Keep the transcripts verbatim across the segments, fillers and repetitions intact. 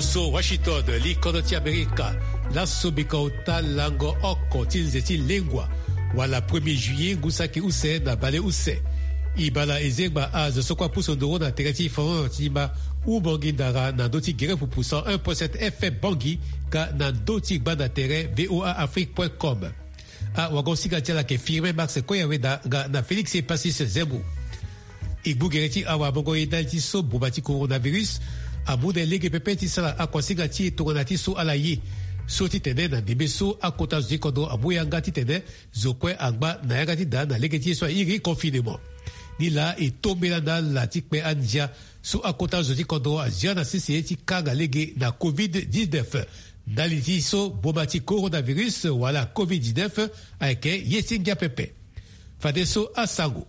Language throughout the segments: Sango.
So Washington, li kodro ti Amerika. Laso bika ota lango oko ti nze ti lengua, wala premier juillet ngu saki use na baleuse. E bala e zengba azo so kue apusu nduru na tere ti France ti ma Ubangui Ndara na ndö ti gere pupu cent un point sept F M Bangui, ka na ndö ti gbanda tere V O A Afrique point com. Awagosinga ti ala ayeke Firmin Max Koyaweda nga na Félix Epasis Zembo. E gbu gere ti awamongo ye ndali ti so boma ti coronavirus amu na e lege pepe ti sara akuasinga ti e tongana ti so ala ye. So titene na ndembe so akota zo ti kodro amu yanga titene zo kue angba na yanga ti da na lege ti ye so airi confinement. Nilaa e tombela na ala ti kpe andia so akota zo ti kodro azia na sese ti kanga lege na covid dix-neuf. Ndali ti so boma ti coronavirus wala covid dix-neuf ayeke ye ti ngia pepe. Fadeso asango.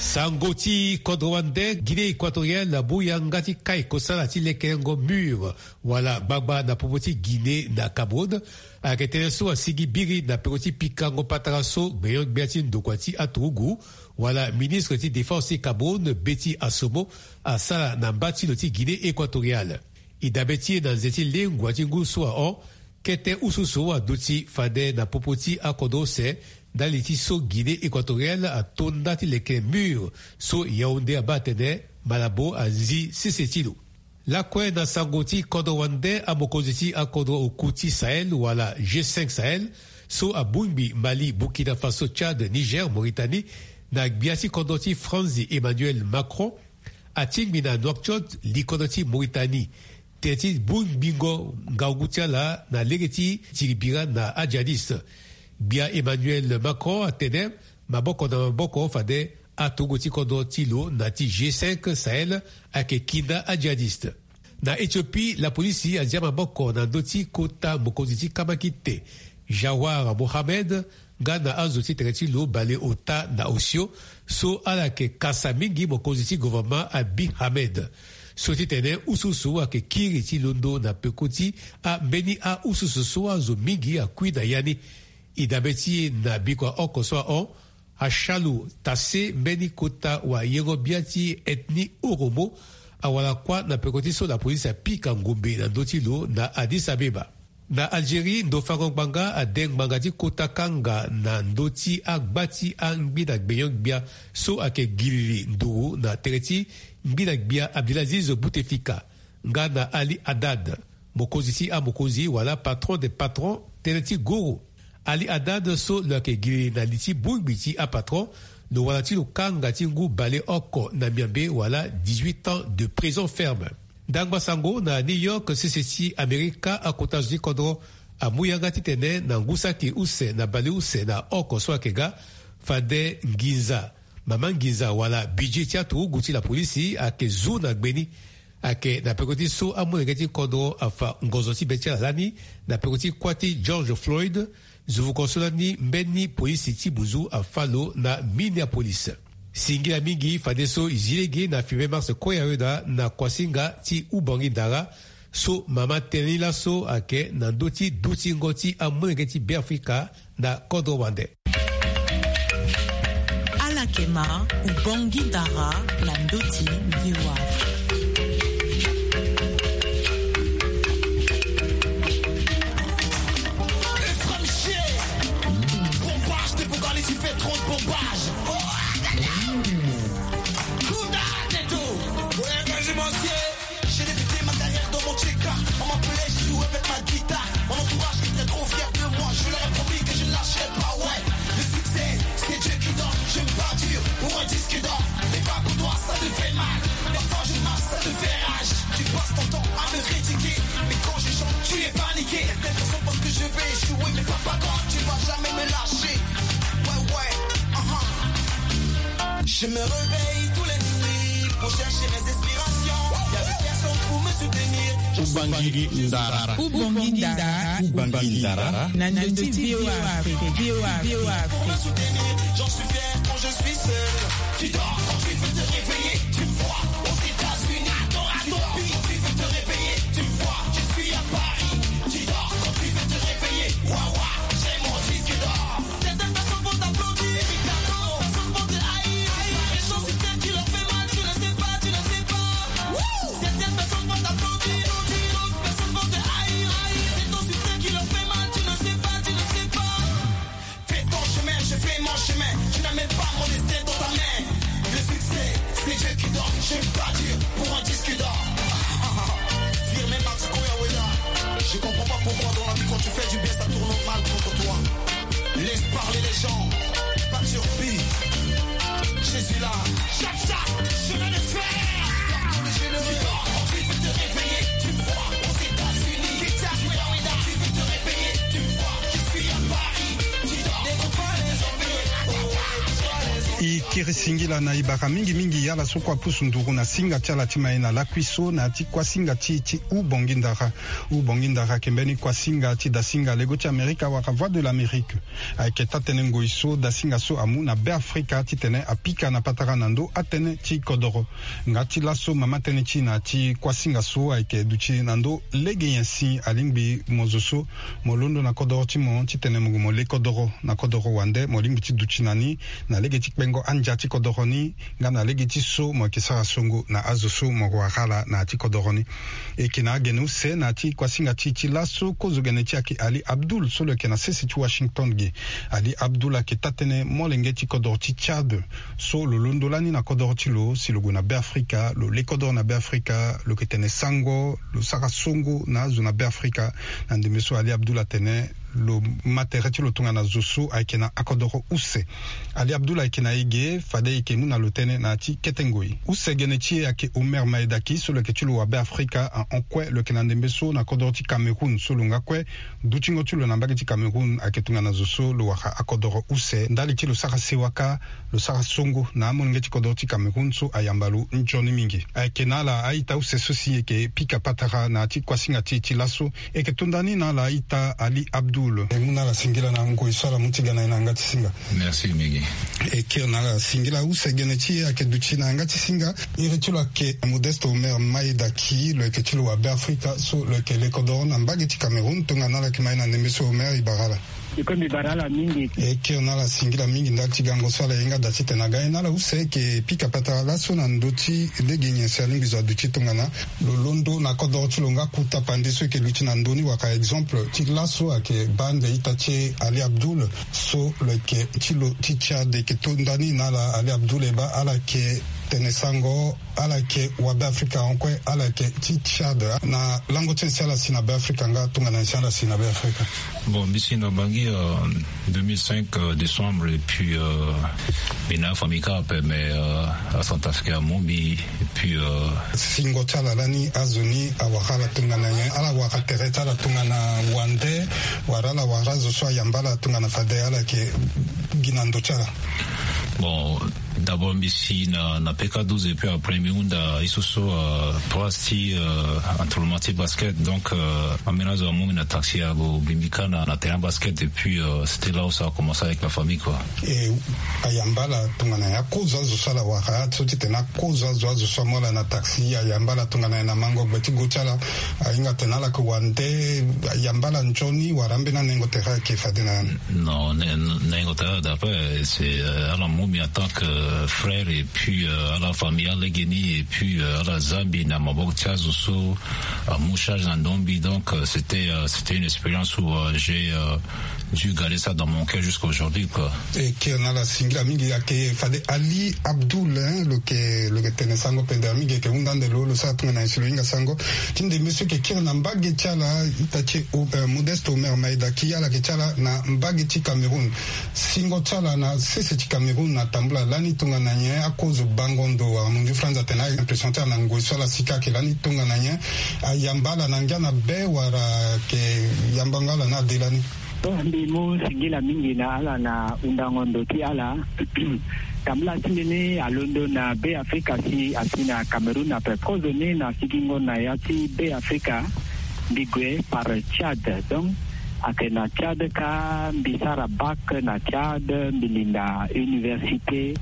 Sango ti kodro wande, Guinée Équatoriale amu yanga ti kai kosala ti lekerengo mur wala gbagba na popo ti Guinée na Cameroun. Ayeke tënë so asigi biri na peko ti pikango patara so gbenyo-gbia ti ndokua ti aturugu wala ministre ti défense ti Cameroun, Betty Assomo, asara na mba ti lo ti Guinée Équatoriale. E dabe ti e na nze ti lengua ti ngu so ahon, kete ususu aduti fade na popo ti akodro use ndali ti so Guinée Équatoriale ato nda ti leke mur so Yaoundé abaa atene Malabo azi sese ti lo. Lakue na sango ti kodro wande, amokonzi ti akodro oku ti Sahel wala G cinq Sahel so abongbi Mali, Burkina Faso, Tchad, Niger, Mauritanie, na gbia ti kodro ti Franzi Emmanuel Macron, atingbi na Nouakchott, likodro ti Mauritanie, tene ti bongbingo ngangu ti ala na lege ti tiri bira na ajihadiste. Gbia Emmanuel Macron atene maboko na maboko fade aturugu ti kodro ti lo na ti G cinq Sahel ayeke kinda ajihadiste. Na Éthiopie, lapolisi azia maboko na ndö ti kota mokonzi ti kamakite, Jawar Mohamed, nga na azo ti tere ti lo baleota na osio so ala yeke kasa mingi mokonzi ti gouvernement Abiy Ahmed. So ti tene ususu ayeke kiri ti londo na peko ti ambeni aususu so azo mingi akui na ya ni. E dabe ti e na bikua oko so ahon, Ashalu Tasse, mbeni kota wayengo-bia ti ethnie Oromo, awara kuâ na peko ti so lapolisi apika ngombe na ndö ti lo na Addis Abeba. Na Algérie, ndo fango ngbanga ade ngbanga ti kota kanga na ndö ti agba ti angbinda gbenyo-gbia so ayeke gilili nduru na tere ti ngbinda-gbia Abdelaziz Bouteflika nga na Ali Haddad, mokonzi ti amokonzi wala patron des patrons, tënë ti guru. Ali Haddad so lo yeke gilili na li ti bongbi ti apatron, lo wara ti lo kanga ti ngu baleoko na miambe wala dix-huit ans de prison ferme. Ndangba sango na New York, sese ti Amerika, akota zo ti kodro amu yanga titene na ngu saki use na baleuse na oko so ayeke ga, fade nginza, mama nginza wala budget ti aturugu ti lapolisi ayeke zu na gbe ni. Ayeke na peko ti so amolenge ti kodro afa ngonzo ti be ti ala lani na peko ti kuâ ti George Floyd, zovuko so lani mbeni polisi ti buzu afa lo na Minneapolis. Singila mingi fadeso e zi lege na Firmin Max Koyaweda na kuasinga ti Ubangui Ndara, so mama tënë ni laso ayeke na ndö ti dutingo ti amolenge ti Beafrika na kodro wande. Ala yeke ma Ubangui Ndara na ndö ti V O A Afrique. Ephraim Shea. Pompage, t'es pour garder, tu fais trop de pompage. Oh, ah, ah, ah. Cool that, et tout. Ouais, vas-y, mon ciel. J'ai débuté ma carrière dans mon tcheka. On m'appelait, je jouais avec ma guitare. Mon entourage était trop fier de moi. Je leur ai promis que je lâcherais pas, ouais. Le succès, c'est Dieu qui donne. Je me bats dur pour un disque d'or. Les bacs au doigt, ça te fait mal. Parfois je marche, ça te fait rage. Tu passes ton temps à me critiquer. Mais quand je chante, tu es paniqué. Certaines personnes pensent que je vais échouer, mais papa, quand tu vas jamais me lâcher. Ouais, ouais, uh-huh. Je me réveille tous les nuits pour chercher mes inspirations. Y avait personne pour me soutenir. Ubangui Ndara. Ubangui Ndara. Ubangui Ndara. Na ndö ti V O A Afrique. V O A Afrique. Pour me soutenir, j'en suis fier quand je suis seul. Tu dors quand tu veux te réveiller. Tu me vois aux États-Unis. Tu dors quand tu veux te réveiller. Tu me vois, je suis à Paris. Tu dors quand tu veux te réveiller. Wawa, j'ai mon disque d'or. Certaines personnes vont t'applaudir. Certaines personnes vont te haïr. Mais quand c'est celle qui leur fait mal, tu ne sais pas, tu ne sais pas. Certaines personnes vont t'applaudir. Je vais partir pour un disque d'or. Vire mes max Koya Weda. Je comprends pas pourquoi dans la vie quand tu fais du bien ça tourne mal contre toi. Laisse parler les gens. Pas de surpris. Jésus là. Chap chap, je vais le faire. Tu dors, tu dors, ensuite tu te réveilles. Tu me vois aux États-Unis. Guitare Koya Weda. Tu veux te réveiller. Tu me vois, je suis à Paris. Tu dors, tu dors, ensuite tu te réveilles. E kiri singila na e bara mingi mingi ala so kue apusu nduru na singa ti ala ti mai na lakui so na ya ti kuasinga ti e ti Hubongi Ndara. Hubongi Ndara ayeke mbeni kuasinga ti dasinga lego ti Amerika wala Voix de l'Amérique. Ayeke taa-tënë ngoi so dasinga so amu na Beafrika titene apika na patara na ndö atënë ti kodoro. Nga ti laso mama tënë ti e na ya ti kuasinga so ayeke duti na ndö lege nyen si alingbi mo zo so mo londo na kodoro ti mo titene mo gue mo le kodoro na kodoro wande mo lingbi ti duti na ni na lege ti kpengo andia ti kodoro ni nga na lege ti so mo yeke sara songo na azo so mo wara ala na ya ti kodoro ni. E yeke na agene use na ya ti kuasinga ti e ti laso kozo gene ti e ayeke Ali Abdul so lo yeke na sese ti Washington ge. Ali Abdul ayeke taa-tënë molenge ti kodoro ti Tchad so lo londo lani na kodoro ti lo si lo gue na Beafrika, lo le kodoro na Beafrika, lo yeke tene sango, lo sara songo na azo na Beafrika. Na ndembe so Ali Abdul atene lo ma tere ti lo tongana zo so ayeke na akodoro use. Ali Abdul ayeke na e ge fade e yeke mu na lo tënë na ya ti kete ngoi. Use gene ti e ayeke Omer Maedaki so lo yeke ti lo wa Beafrika ahon kue lo yeke na ndembe so na kodoro ti Cameroun so lo nga kue dutingo ti lo na mbage ti Cameroun ayeke tongana zo so lo wara akodoro use ndali ti lo sara sewa kâ lo sara songo na amolenge ti kodoro ti Cameroun so ayamba lo nzoni mingi. Ayeke na ala a-ita use so si e yeke pika patara na ya ti kuasinga ti e ti laso. E yeke to nda ni na ala a-ita Ali Abdul. E mu na ala singila na ngoi so ala mu ti ga na e na yanga ti singa. Merci mingi. E kiri na ala singila use gene ti e ayeke duti na yanga ti singa. Iri ti lo ayeke Modeste Omer Maedaki, lo yeke ti lo wa Beafrika so lo yeke le kodoro na mbage ti Cameroun. Tongana ala yeke ma e na ndembe so Omer, e bara ala. E kue mbi bara ala mingi. E kiri na ala singila mingi ndali ti gango so ala ye nga da titene aga e na ala use. E yeke pika patara laso na ndö ti lege nyen si alingbi zo aduti tongana lo londo na kodoro ti lo nga ku tapande so e yeke luti na ndö ni wala exemple ti laso ayeke baa nde ita ti e Ali Abdul so lo yeke ti lo ti Tchad. E yeke to nda ni na ala Ali Abdul, e baa ala yeke tene sango, ala yeke wa Beafrika ahon kue, ala yeke ti Tchad. Na lango ti nyen si ala si na Beafrika nga tongana nyen si ala si na Beafrika? Bon, mbi si na Bangui, euh, deux mille cinq, euh, décembre, et puis, euh, mbi na afamille kâ ape, mais, euh, aCentrafricain amu mbi, et puis, euh, singo ti ala lani azo ni awara ala tongana nyen? Ala wara tere ti ala tongana wande, wala ala wara azo so ayamba ala tongana fade ala yeke gi na ndo ti ala? Bon, d'abord mbi si na, na P K douze, et puis après mbi hunda ye so so, euh, place ti, euh, entraînement ti basket. Donc, euh, ambeni azo amu mbi na taxi ague bimbi kâ na, na terrain basket, et puis, euh, c'était là où ça a commencé avec la famille, quoi. E ayamba ala tongana nyen? Akozo azo so ala wara so titene akozo azo, azo so amu ala na taxi, ayamba ala tongana nyen na mango gbe ti go ti ala? Ahinga atene ala yeke wande, ayamba ala nzoni wala ambeni anengo tere ayeke fade na ya ni? Non, nengo tere, d'après, c'est, euh, ala mu mbi en tant que frère, et puis, euh, ala famille alegeni, et puis, euh, ala za mbi na maboko ti azo so amu charge na ndo mbi. Donc, euh, c'était, euh, c'était une expérience où, euh, j'ai, euh, dû garder ça dans mon cœur jusqu'à aujourd'hui, quoi. E kiri na ala singila mingi. Ayeke fade Ali Abdul, hein, lo yeke, lo yeke tene sango pendere mingi, e yeke hunda ande lo, lo sara tongana nyen si lo hinga sango ti ndembe so e yeke kiri na mbage ti ala, ita ti e, euh, Modeste Omer Maedaki, ala yeke ti ala na mbage ti Cameroun. Singo ti ala na sese ti Cameroun atambula lani tongana nyen? Akozo bango ndo wala munzu franz atene a-impression ti ala na ngoi so ala si kâ ayeke lani tongana nyen? Ayamba ala na ngia na be wala ayeke yambango ala na ade lani? Bon, mbi mu singila mingi na ala na hundango ndo ti ala. Tambula ti mbi ni alondo na Beafrika si asi na Cameroun ape. Kozo ni na sigingo na ya ti Beafrika, mbi gue par Tchad. Donc, ayeke na Tchad kâ, mbi sara bac na Tchad, mbi linda université.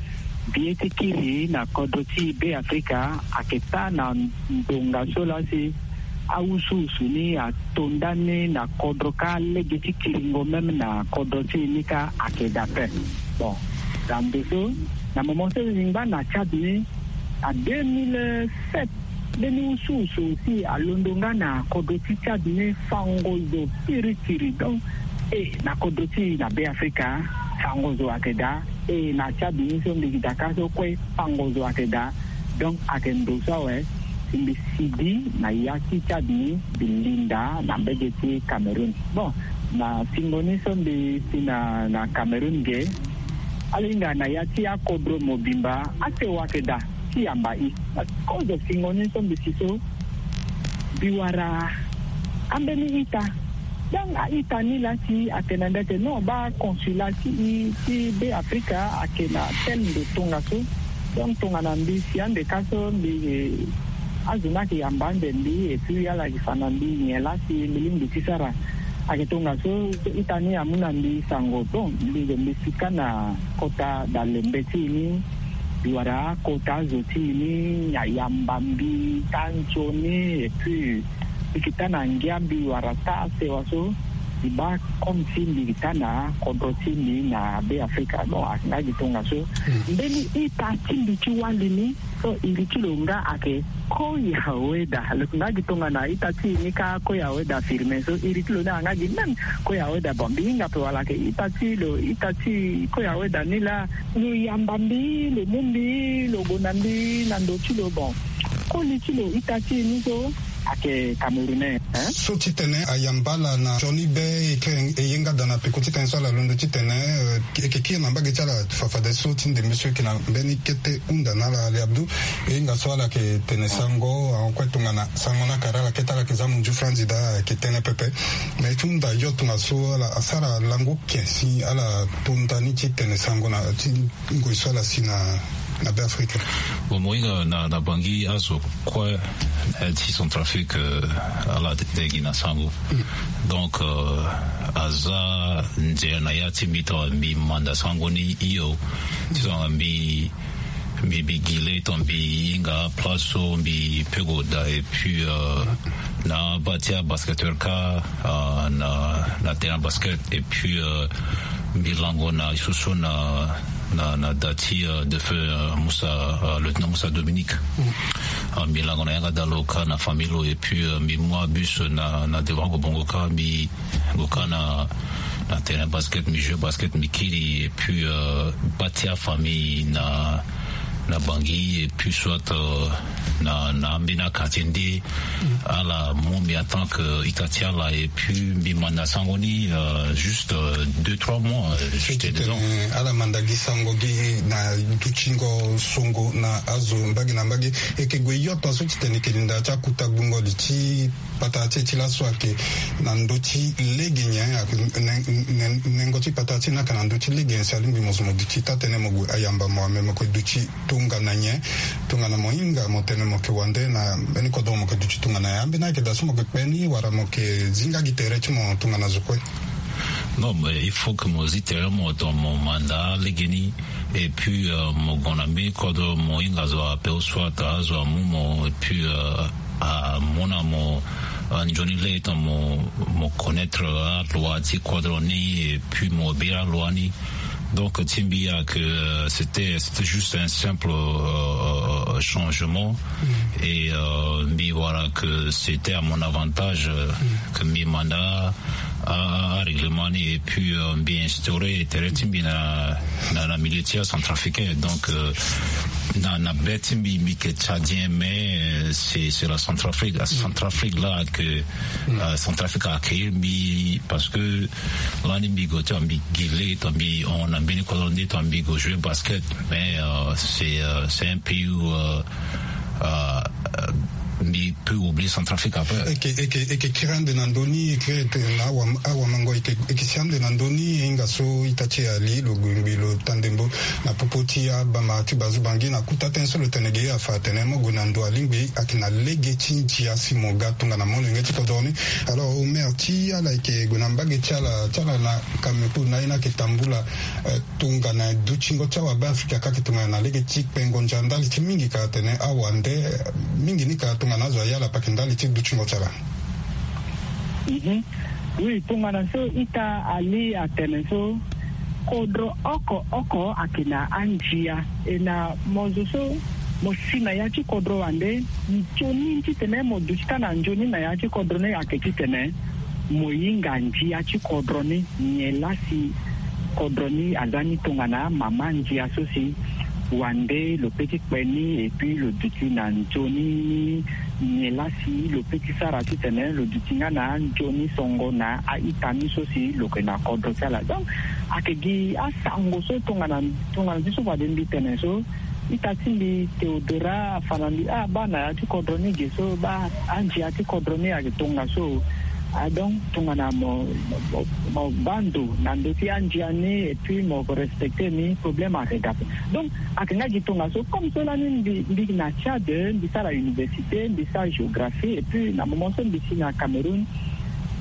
Mbi ye ti kiri na kodro ti Beafrika ayeke taa na ndonga so laa si awusuwusu ni ato ndani na kodro kâ, lege ti kiringo même na kodro ti e ni kâ ayeke daa ape. Bon, na ndo so, na moment so e ngba na Tchad ni, na deux mille sept, mbeni wusuwusu aussi alondo nga na kodro ti Tchad ni, fango zo kirikiri. Donc, e na kodro ti e na Beafrika, fango zo ayeke daa. E na Tchad ni so mbi gi daa kâ so kue, fango zo ayeke daa. Donc ayeke ndo so awe si mbi sigi na ya ti Tchad ni, mbi linda na mbege ti Cameroun. Bon, na singo ni so mbi si na na Cameroun ge, ala hinga na ya ti akodro mobimba asewa ayeke daa ti yamba i. Kozo singo ni so mbi si so, mbi wara ambeni ita. Donc a-ita ni laa si atene na mbi ete non, baa consulat ti i ti Be Afrika ayeke na tel ndo tongaso. Donc tongana mbi si ande ka so mbi, azo ni ayeke yamba ande mbi, et puis ala yeke fa na mbi nyen laa si mbi lingbi ti sara. Ayeke tongaso so ita ni amu na mbi sango. Bon, mbi zo mbi si kâ na kota dalembe ti e ni, mbi wara akota azo ti e ni ayamba mbi taa nzoni, et puis mbi yeke taa na ngia, mbi wara taa sewa so mbi baa comme si mbi yeke taa na kodro ti mbi na Be Afrika. Bon, ayeke nga gi tongaso. Mbeni ita ti mbi ti wali ni so iri ti lo nga ayeke Koya Weda. Lo yeke nga gi tongana ita ti e ni kâ Koya Weda Firmin so iri ti lo ni ayeke nga gi même Koya Weda. Bon, mbi hinga ape wala ayeke ita ti lo, ita ti Koya Weda ni laa lo yamba mbi, lo mu mbi, lo gue na mbi na ndo ti lo. Bon, koli ti lo ita ti e ni so ayeke Camerounais, hein? So titene ayamba ala na nzoni be, e yeke, e ye nga daa na peko titene so ala londo titene, euh, e yeke kiri na mbage ti ala fafadeso ti ndembe so e yeke na mbeni kete hunda na ala, Ali Abdou. E hinga so ala yeke tene sango ahon kue tongana sango ni akara ala kete, ala yeke za munzu franzi daa, ayeke tënë pepe. Me ti hunda yo tongaso ala asara lango ken si ala to ndani ti tene sango na ti ngoi so ala si na, na Be Afrika. Bon, mo hinga na, na Bangui azo kue, eh, ti Centrafrique, eh, ala tene gi na sango. Donc, eh, aza nzere na ya ti mbi tongana mbi manda sango ni hio. Ti tongana mbi, mbi, mbi gi le tongana mbi hinga aplace so mbi peut gue daa, et puis, eh, na abaa ti abasketteur kâ, eh, na, na terrain basket, et puis, eh, mbi lango na e so so na, na, na da ti, euh, défunt, euh, Moussa, euh, lieutenant Moussa Dominique. Euh, mbi lango na yanga daa lo kâ na famille lo, et puis, euh, mbi mu abus na, na devant Kobongo kâ, mbi gue kâ na, na terrain basket, mbi joue basket, mbi kiri, et puis, euh, baa ti afamille na, na Bangui, et puis soit, euh, na, na ambeni quartier nde ala mu mbi en tant que ita ti ala, et puis mbi manda sango ni, euh, juste, euh, deux, trois mois, euh, j'étais dedans. Ala manda gi sango gi na dutingo songo na azo mbage na mbage. E yeke gue yo tongaso titene e yeke linda ti akuta gbungo li ti patara ti e ti laso ayeke na ndö ti lege nyen? Ayeke nen-, nen-, nengo ti patara ti e ni ayeke na ndö ti lege nyen si alingbi mo zo mo duti taa tënë mo gue ayamba mo, ame mo yeke duti tongana nyen? Tongana mo hinga mo tene mo yeke wande na mbeni kodro, mo yeke duti tongana nyen? Ambeni ayeke daa so mo yeke kpe ni wala mo yeke zi nga gi tere ti mo tongana zo kue? Non, mais il faut que mo zi tere mo tongana mo manda legeni. Et puis, euh, mo gue na mbeni kodro, mo hinga azo ape ou soit azo amu mo, et puis, euh, amu na mo, euh, nzoni lege tongana mo, mo connaître, euh, aloi ti kodro ni, et puis mo bira aloi ni. Donc ti mbi ayeke, euh, c'était, c'était juste un simple, euh, changement. Et, euh, mbi wara que c'était à mon avantage, euh, que mbi manda a, a, arèglement ni, et puis, euh, mbi instauré tere ti mbi na, na, na milieu ti acentrafricain. Donc, euh, na, na be ti mbi, mbi yeke tchadien, mais, euh, c'est, c'est la Centrafrique. La Centrafrique là que, euh, Centrafrique a accueilli mbi parce que lani mbi gue ti mbi gi le tongana mbi hon na mbeni kodro nde tongana mbi gue jouer basket. Mais, euh, c'est, euh, c'est un pays où, euh, euh, mbi peut oublier Centrafrique après. E yeke, e yeke, e yeke kiri ande na ndö ni, e yeke kiri ande na awa, awamango, e yeke, e yeke si ande na ndö ni, e hinga so ita ti e Ali lo gue ngbii lo taa ndembo na popo ti abama ti bazu Bangui na kota tënë so lo tene ge, afa atene mo gue na ndo alingbi ayeke na lege ti ndia si mo ga tongana molenge ti kodro ni. Alors Omer, ti ala yeke gue na mbage ti ala, ti ala na Cameroun, na ye ni ayeke tambula, eh, tongana dutingo ti awabe Afrika kâ ayeke tongana na lege ti kpengo ndia ndali ti mingi ka atene awande, eh, mingi ni ka tongana azo aya ala pake ndali ti dutingo ti ala. Mhm. Oui, tongana so ita Ali atene so, kodro oko oko ayeke na andia. E na mo zo so mo si na ya ti kodro wande, nzoni titene mo duti taa na nzoni na ya ti kodro ni ayeke titene mo hinga ndia ti kodro ni, nyen laa si kodro ni aza ni tongana mama ndia so si wande lo pe ti kpe ni, et puis lo duti na nzoni ni. Nyen laa si lo pe ti sara titene lo duti nga na anzoni songo na a-ita ni so si lo yeke na kodro ti ala. Donc ayeke gi asango so tongana tongana ti so fade mbi tene so, ita ti mbi Théodora afa na mbi, ah, baa na ya ti kodro ni ge so, baa andia ti kodro ni ayeke tongaso. Ah, donc tongana mo, mo, mo baa ndo na ndö ti andia ni et puis mo respecter ni, problème ayeke ga ape. Donc ayeke nga gi tongaso. Comme so lani mbi, mbi na Tchad, mbi sara université, mbi sara géographie, et puis na moment so mbi si na Cameroun,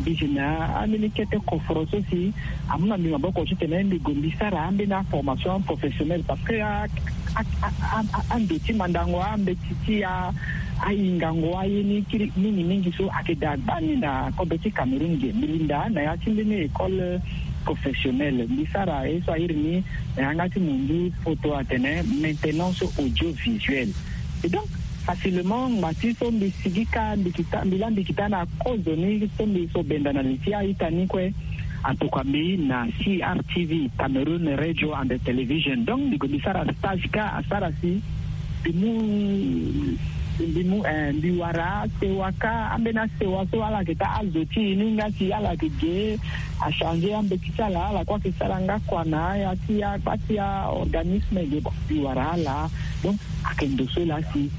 mbi si na ambeni kete koforo so si amu na mbi maboko titene mbi gue mbi sara ambeni aformation professionnelle, parce que a, a, a, a, ando ti mandango ambeti ti a, ahingango aye ni kiri mingi mingi so ayeke daa gbani na kodro ti Cameroun ge. Mbi linda na ya ti mbeni école professionnelle, mbi sara ye so airi ni na yanga ti monzu poto atene maintenance audiovisuelle. Et donc facilement ngba ti so mbi sigi kâ, mbi kita, mbi laa mbi kita na kozo ni so mbi so benda na li ti a-ita ni kue. Atokua mbi na C R T V, Cameroon Radio and Television. Donc mbi gue mbi sara stage kâ, asara si mbi mu, mbi mu, eh, mbi wara asewa kâ, ambeni asewa so ala yeke taa azo ti e ni nga si ala yeke ge, achanger ambeti ti ala, ala kue ayeke sara nga kua na aya ti akpa ti a-organisme ge. Bon, mbi wara ala. Donc ayeke ndo so laa si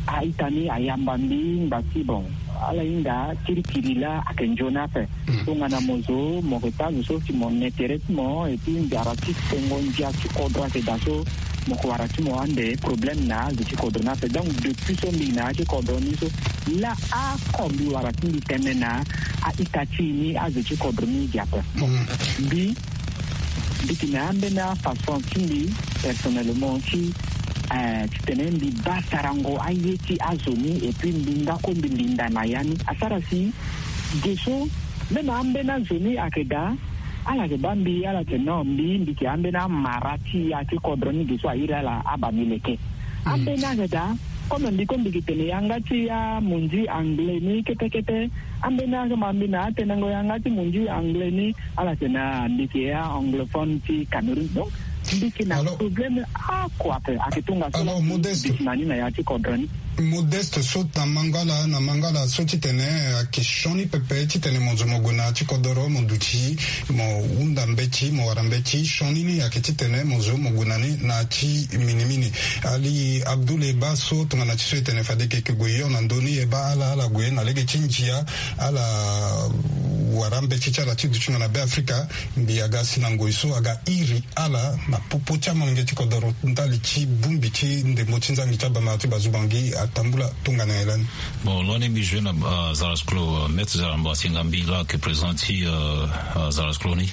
a-ita ni ayamba mbi ngba ti, bon, ala hinga kirikiri laa ayeke nzoni ape. Tongana mo zo mo yeke taa zo so si mo na intérêt ti mo, et puis nzara ti sengo ndia ti kodro ayeke daa so, mo yeke wara ti mo ande problème na azo ti kodro ni ape. Donc depuis so mbi na ya ti kodro ni so, laa oko mbi wara ti mbi tene na a-ita ti e ni, azo ti kodro ni ge ape. Mbi mbi yeke na ambeni afaçon ti mbi personnellement ti, eh, titene mbi baa sarango aye ti azo ni, et puis mbi nga kue mbi linda na ya ni. Asara si ge so même ambeni azo ni ayeke daa, ala yeke baa mbi, ala yeke non, mbi, mbi yeke ambeni amara ti ya ti kodro ni ge so airi ala abaa mbi leke. Ambeni ayeke daa, comme mbi kue mbi yeke tene yanga ti amonzi anglais ni kete kete. Ambeni ayeke ma mbi na atenengo yanga ti monzi anglais ni, ala tene mbi yeke a-anglophone ti Cameroun. Donc mbi yeke na problème oko ape. Ayeke tongaso. Alors Modeste, mbi yeke na ni na ya ti kodro ni. Modeste so na Mangala, na Mangala so titene ayeke sioni pepe titene mo zo mo gue na ya ti kodoro, mo duti, mo hunda mbeti, mo wara mbeti, sioni ni ayeke titene mo zo mo gue na ni na ya ti minimini. Ali Abdoul, e baa so tongana ti so e tene fade e yeke gue hio na ndö ni, e baa ala, ala gue na lege ti ndia, ala wara mbeti ti ala ti dutingo na Be Afrika. Mbi aga si na ngoi so aga iri ala na popo ti amolenge ti kodoro ndali ti bongbi ti ndembo ti nzangi ti abamara ti bazubangi atambula tongana nyen lani? Bon, lo ni mbi zo na, euh, Zarasklo, euh, Maître Zaramba Singambi, la, qui est président ti, euh, euh, Zarasklo ni.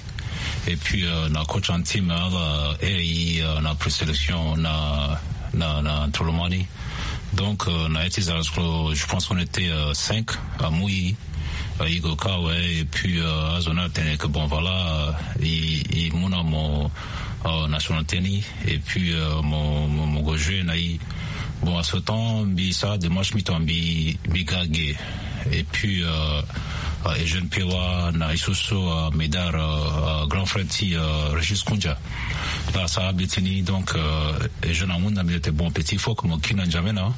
Et puis, euh, na coach en team, hein, euh, et, euh, na présélection, na, na, na Tolomani. Donc, euh, na ya ti Zarasklo, je pense qu'on était, euh, cinq à Mouyi. Euh, i gue kâ awe, et puis, euh, azo ni atene que bon, voilà, euh, i, i mu na mo, euh, nationalité ni, et puis, euh, mo, mo, mo gue jouer na i. Bon, à ce temps, mbi sara démarche, mbi tongana mbi, mbi ga ge. Et puis, euh, euh, Eugène Piewa, na i so so, euh, médard, euh, euh, grand frère ti, euh, Régis Koundia. Là, asara mbeti ni, donc, euh, Eugène amu na mbi, tene bon, petit, il faut que mo kiri na N'Djamena.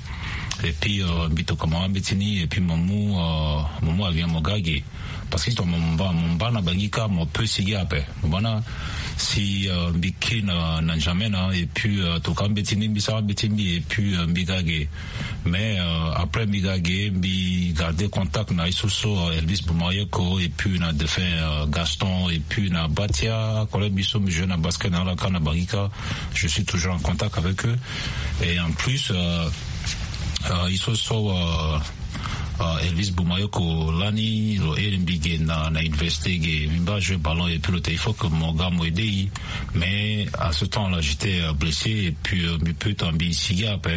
Et puis, euh, mbi tokua mo ambeti ni, et puis mo mu, euh, mo mu avion mo ga ge. Parce que si tongana mo mba, mo mba na Bangi kâ, mo peut sigi ape. Mo mba na, si, euh, mbi kiri na, na N'Djamena, et puis, euh, tokua mbeti ni, mbi sara mbeti mbi, et puis, euh, mbi ga ge. Mais, euh, après mbi ga ge, mbi garder contact na i so so, euh, Elvis Boumayoko, et puis na défunt, euh, Gaston, et puis na Batia, collègue biso, mbi jouer na basket na ala kâ na Bangi kâ. Je suis toujours en contact avec eux. Et en plus, euh, euh, i so so, euh, euh, Elvis Boumayoko lani, lo iri mbi ge na, na université ge, mbi mba jouer ballon, et puis lo tene il faut que mo ga mo aider i. Mais à ce temps-là, j'étais, euh, blessé, et puis, euh, mbi peut tongana mbi sigi ape,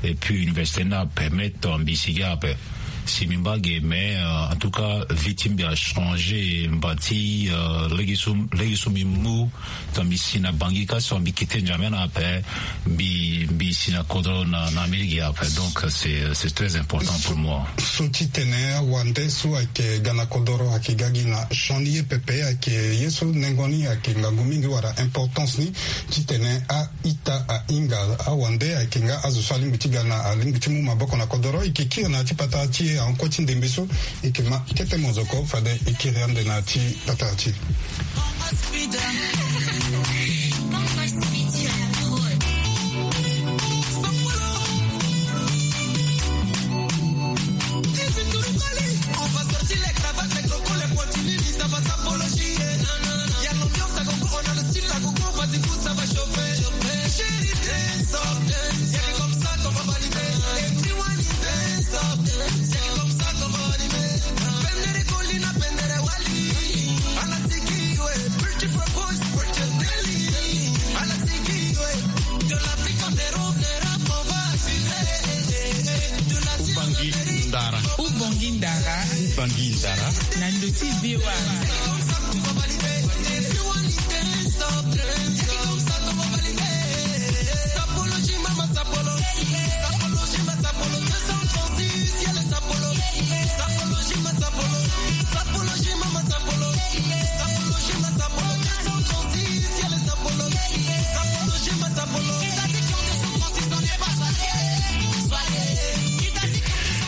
et puis université ni apermettre tongana mbi sigi ape. Si mbi mba ge, mais en tout cas vie ti mbi achangé mba ti lege so mbi mu. Tongana mbi si na bangi ka so mbi kite njame na ape, mbi mbi si na kodro na amerike ape. Donc c'est très important pour moi. So ti tene awande so ayeke ga na kodoro ayeke ga gi na chani ye pepe ayeke ye so nengo ni ayeke ngangu mingi wala importance ni ti tene a ita ahinga awande ayeke nga azo so alingbi ti ga na alingbi ti mu maboko na kodoro eke kiri na ya ti patara ti e ankue ti ndembe so eke ma kete mozoko fade ekiri ande na ya ti patara ti e. Ubongi ndara. Ubongi ndara. Ubongi ndara. Na ndo ti V O A.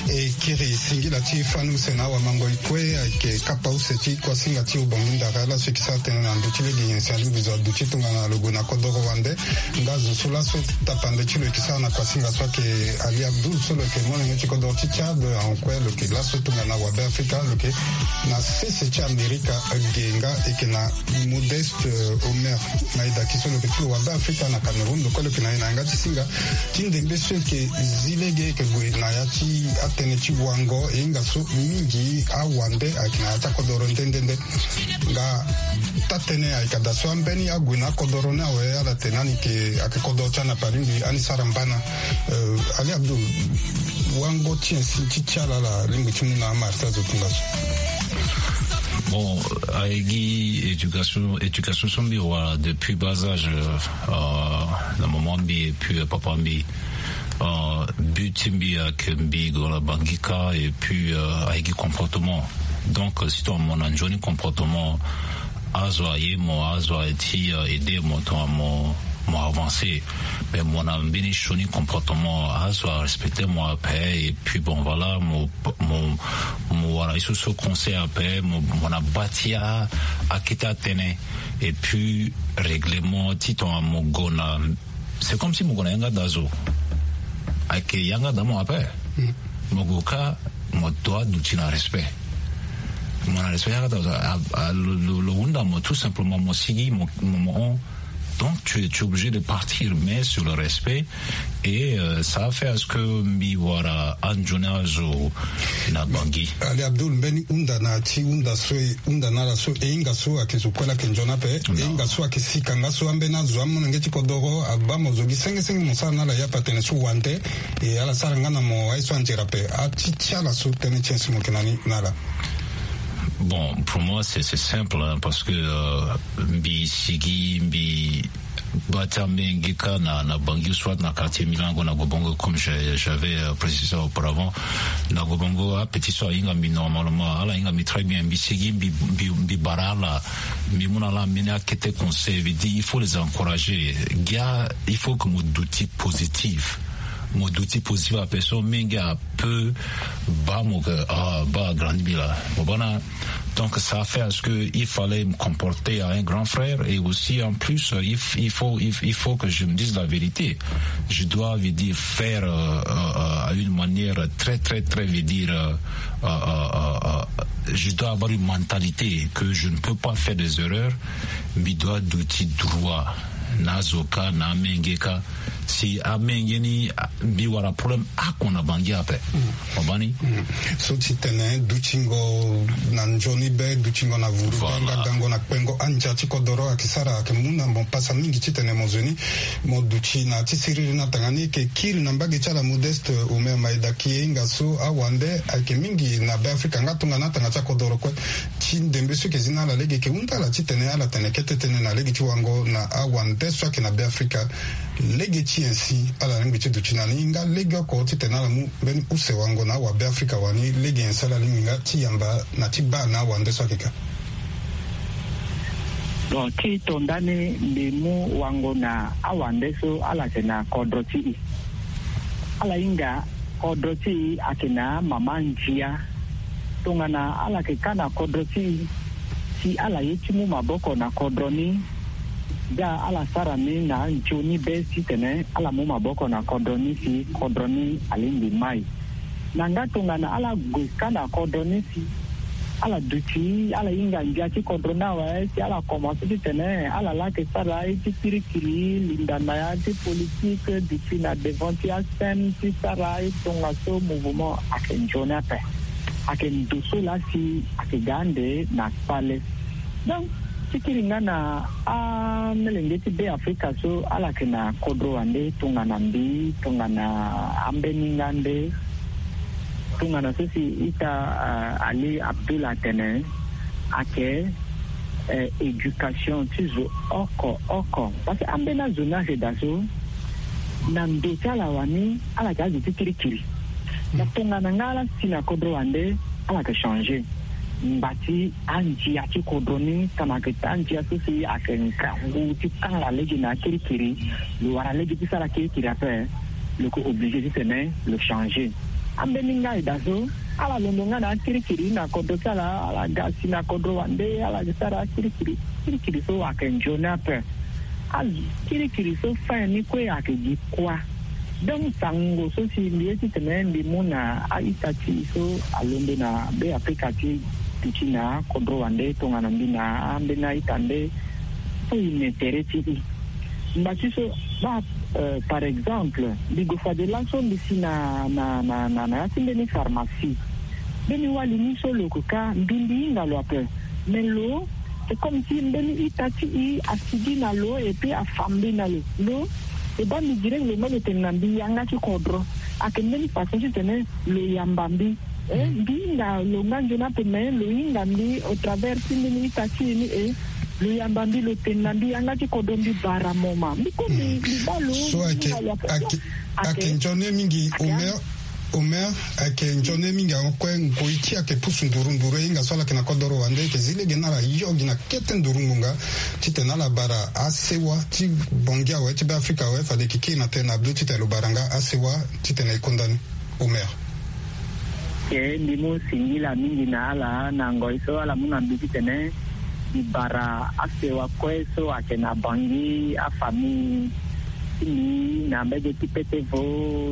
E kiri singila ti fani use na awamango e kue ayeke kapa use ti kuasinga ti ubongi ndara laso e yeke sara tënë na ndo ti lege nyen si alingbi zo aduti tongana lo gue na kodoro wande. Nga zo so laso tapande ti lo yeke sara na kuasinga so ayeke Ali Abdoul so lo yeke molenge ti kodoro ti Tchad, ankue lo yeke laso tongana wabe Afrika lo yeke na sese ti Amerika. Ge nga e yeke na Modeste Omer na e daki so lo yeke ti lo wabe Afrika na Cameroun. Lo kue lo yeke na e na yanga ti singa ti ndembe so e yeke zi lege e yeke gue na ya ti atënë ti wango e hinga so mingi awande ayeke na ya ti akodoro nde nde nde. Nga taa-tënë ayeke daa so ambeni ague na akodoro ni awe ala tene ani yeke ayeke kodoro ti anapa alingbi ani sara mbana. Ali Abdoul, wango ti nyen si ti ti ala ala alingbi ti mu na amara ti azo tongaso? Bon, aye gi éducation éducation so mbi wara depuis bas âge, na moment mbi et puis papa mbi, but ti mbi ayeke mbi gue na bangi ka et puis aye gi comportement. Donc si tongana mo na nzoni comportement, azo aye mo, azo aye ti aider mo tongana mo mo avancer. Mais mo na mbeni sioni comportement, azo arespecter mo ape. Et puis bon, voilà, mo mo mo wara ye so so conseil ape. Mo na bâti akete atënë. Et puis règlement ti tongana mo gue na, c'est comme si mo gue na yanga daa zo. Ayeke yanga daa mo ape. Mo gue ka, mo doit duti na respect. Mo na respect yanga daa zo. Lo hunda mo tout simplement, mo sigi mo mo hon. Donc tu es obligé de partir, mais sur le respect. Et ça a fait à ce que mbi wara anzoni azo na bangi. Ali Abdoul, mbeni hunda na ya ti hunda so e hunda na ala so e hinga so ayeke zo kue laa ayeke nzoni ape. E hinga so ayeke sika nga so ambeni azo amolenge ti kodoro abaa mo zo gi senge senge mo sara na ala ya pe atene so wande. E ala sara nga na mo aye so anzere ape. Ati ti ala so tënë ti nyen si mo yeke na ni na ala? Bon, pour moi c'est simple, parce que mbi sigi mbi baa ti ambeni ge ka na bangi soit na quartier milango na gobongo comme j'avais précisé auparavant. Na gobongo apetit so ahinga mbi normalement, ala hinga mbi très bien, mbi sigi mbi bara ala. Mbi mu na ala ambeni akete conseil, veut dire il faut les encourager. Gia, il faut que mo duti positif. Mo duti positif ape so mingi ape. Baa mo ke ah baa agrandi mbi laa mo baa na. Donc ça fait à ce que il fallait me comporter à un grand frère. Et aussi en plus il faut il faut que je me dise la vérité. Je dois, veut dire, faire à une manière très très très, veut dire, je dois avoir une mentalité que je ne peux pas faire des erreurs. Mbi doit duti droit na azo ka na amenge ka. Si amenge ni mbi wara problème ako na bangi ape. Obani so ti tene dutingo na nzoni be, dutingo na vuru be, nga gango na kpengo andia ti kodoro ayeke sara ayeke mu na mo pasa mingi ti tene mo zo ni mo duti na ti siriri na tanga ni. Eke kiri na mbage ti ala Modeste Omer Maeda, ki ye hinga so awande ayeke mingi na Be Afrika nga tongana atanga ti akodoro kue. Ti ndembe so eke zi na ala lege eke hunda ala ti tene ala tene kete tënë na lege ti wango na awande so ayeke na Be Afrika. Lege ti nyen si ala lingbi ti duti na ni nga lege oko ti tene ala mu mbeni use wango na awa Be Afrika wani? Lege nyen si ala lingbi nga ti yamba na ti baa na awande so ayeke ka? Bon, ti to ndani mbi mu wango na awande so ala yeke na kodro ti e. Ala hinga kodro ti e ayeke na mama ndia. Tongana ala yeke ka na kodro ti e, si ala ye ti mu maboko na kodro ni, da ala sara ni na nzoni be titene ala mu maboko na kodro ni si kodro ni alingbi mai. Na nga tongana ala gue ka na kodro ni si ala duti, ala hinga ndia ti kodro ni awe, si ala komanse titene ala laa yeke sara ye ti kirikiri, linda na ya ti politike, duti na devant ti asem ti sara ye tongaso mouvement ayeke nzoni ape. Ayeke ndo so laa si ayeke ga ande na kpale. Donc, ti kiri nga na amolenge ti Be Afrika so ala yeke na kodro wande tongana mbi, tongana ambeni nga nde, tongana so si ita, ah, Ali Abdul atene, ayeke, eh, éducation ti zo oko oko. Parce que ambeni azo ni ayeke daa so, na ndo ti ala wani, ala yeke azo ti kirikiri. Na tongana nga ala si na kodro wande, ala yeke changer. Ngba ti andia ti kodro ni, tongana ayeke andia so si ayeke ngangu ti kanga lege na akirikiri, lo wara lege ti sara kirikiri ape, lo yeke obligé titene lo changer. Ambeni nga e daa so, ala londo nga na akirikiri na kodro ti ala, ala ga si na kodro wande, ala yeke sara akirikiri. Kirikiri so ayeke nzoni ape. Akirikiri so fin ni kue ayeke gi kuâ. Donc sango so si mbi ye titene mbi mu na a-ita ti e so alondo na Be Afrika ti duti na kodro wande tongana mbi na ambeni a-ita nde, so e na intérêt ti e. Ngba ti so baa, euh, par exemple, mbi gue fade laso mbi si na, na, na, na, na ya ti mbeni pharmacie. Mbeni wali ni so lo yeke ka, mbi, mbi hinga lo ape. Mais lo, c'est comme si mbeni ita ti e asigi na lo, et puis afa mbi na lo. Lo, e baa mbi direct lo ma lo tene na mbi yanga ti kodro. Ayeke mbeni façon titene lo yamba mbi. Eh, mbi hinga lo nga nzoni ape, mais lo hinga mbi au travers ti mbeni ita ti e ni, eh, lo yamba mbi, lo tene na mbi yanga ti kodro, mbi bara moma. Mbi kue mbi, mbi baa lo, so mbi ayeke, hinga lo ape. Ayeke, ayeke nzoni mingi, Omer. Omer, ayeke nzoni mingi, akue ngoi ti e ayeke pusu nduru nduru, e hinga so ala yeke na kodoro wande, e yeke zi lege na ala yo gi na kete nduru ngonga, titene ala bara asewa ti Bangui awe, ti Be Afrika awe, fade e yeke kiri na tënë na Abdou titene lo bara nga asewa titene e konda ni. Omer. Ke mbi mu singila mingi na ala na ngoi so ala mu na mbi titene mbi bara asewa kue so ayeke na Bangui, afamille ti mbi na mbege ti Petevo,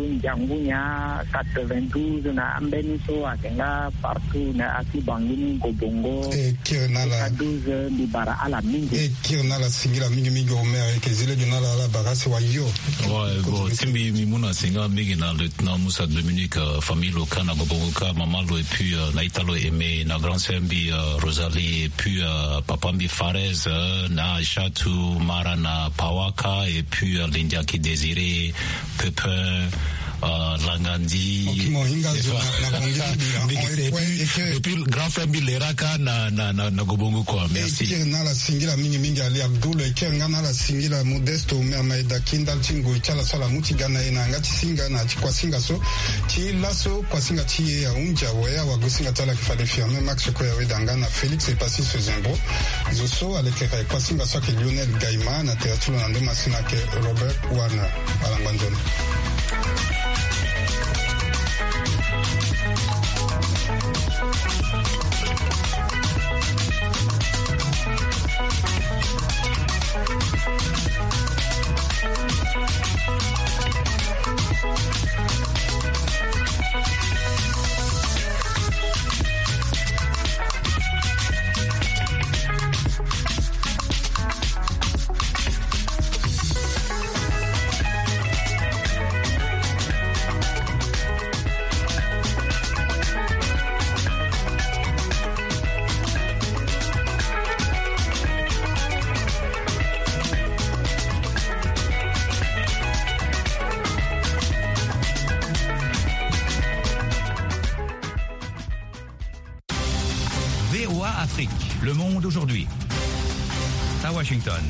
Ndiangunya, quatre-vingt-douze, na ambeni so ayeke nga partout na ya ti Bangui ni, Gobongo, E kiri na ala. Douze, mbi bara ala mingi. E kiri na ala singila mingi mingi Omer, e yeke zi lege na ala, ala bara asewa yo. Ouais, bon, ti mbi, mbi mu na singila mingi na lieutenant Moussa Dominique, euh, famille lo ka na Gobongo ka, mama lo, et puis, euh, na ita lo Aimé, na grand sœur mbi, euh, Rosalie, et puis, euh, papa mbi Farez, euh, na Aïchatou, Mara na Pawaka, et puis, euh, Lindiaki Désiré, Pépin, euh, Langandi. Ok, mo hinga zo na, na Bangui, et puis, et puis grand frère mbi Leraka na, na, na, na Gobongo, quoi. Merci. E kiri na ala singila mingi mingi Ali Abdoul, e kiri nga na ala singila Modeste Omer Maeda, ki ndali ti ngoi ti ala so ala mu ti ga na e na yanga ti singa na ti kuasinga so. Ti laso kuasinga ti e ahunzi awe, awagosinga ti ala ayeke fade Firmin Max Koyaweda nga na Félix Epassis Zembro. Zo so alekere kuasinga so ayeke Lionel Gaima, na tere ti lo na ndo masina ayeke Robert Warner. Ala ngba nzoni. Le monde aujourd'hui. À Washington.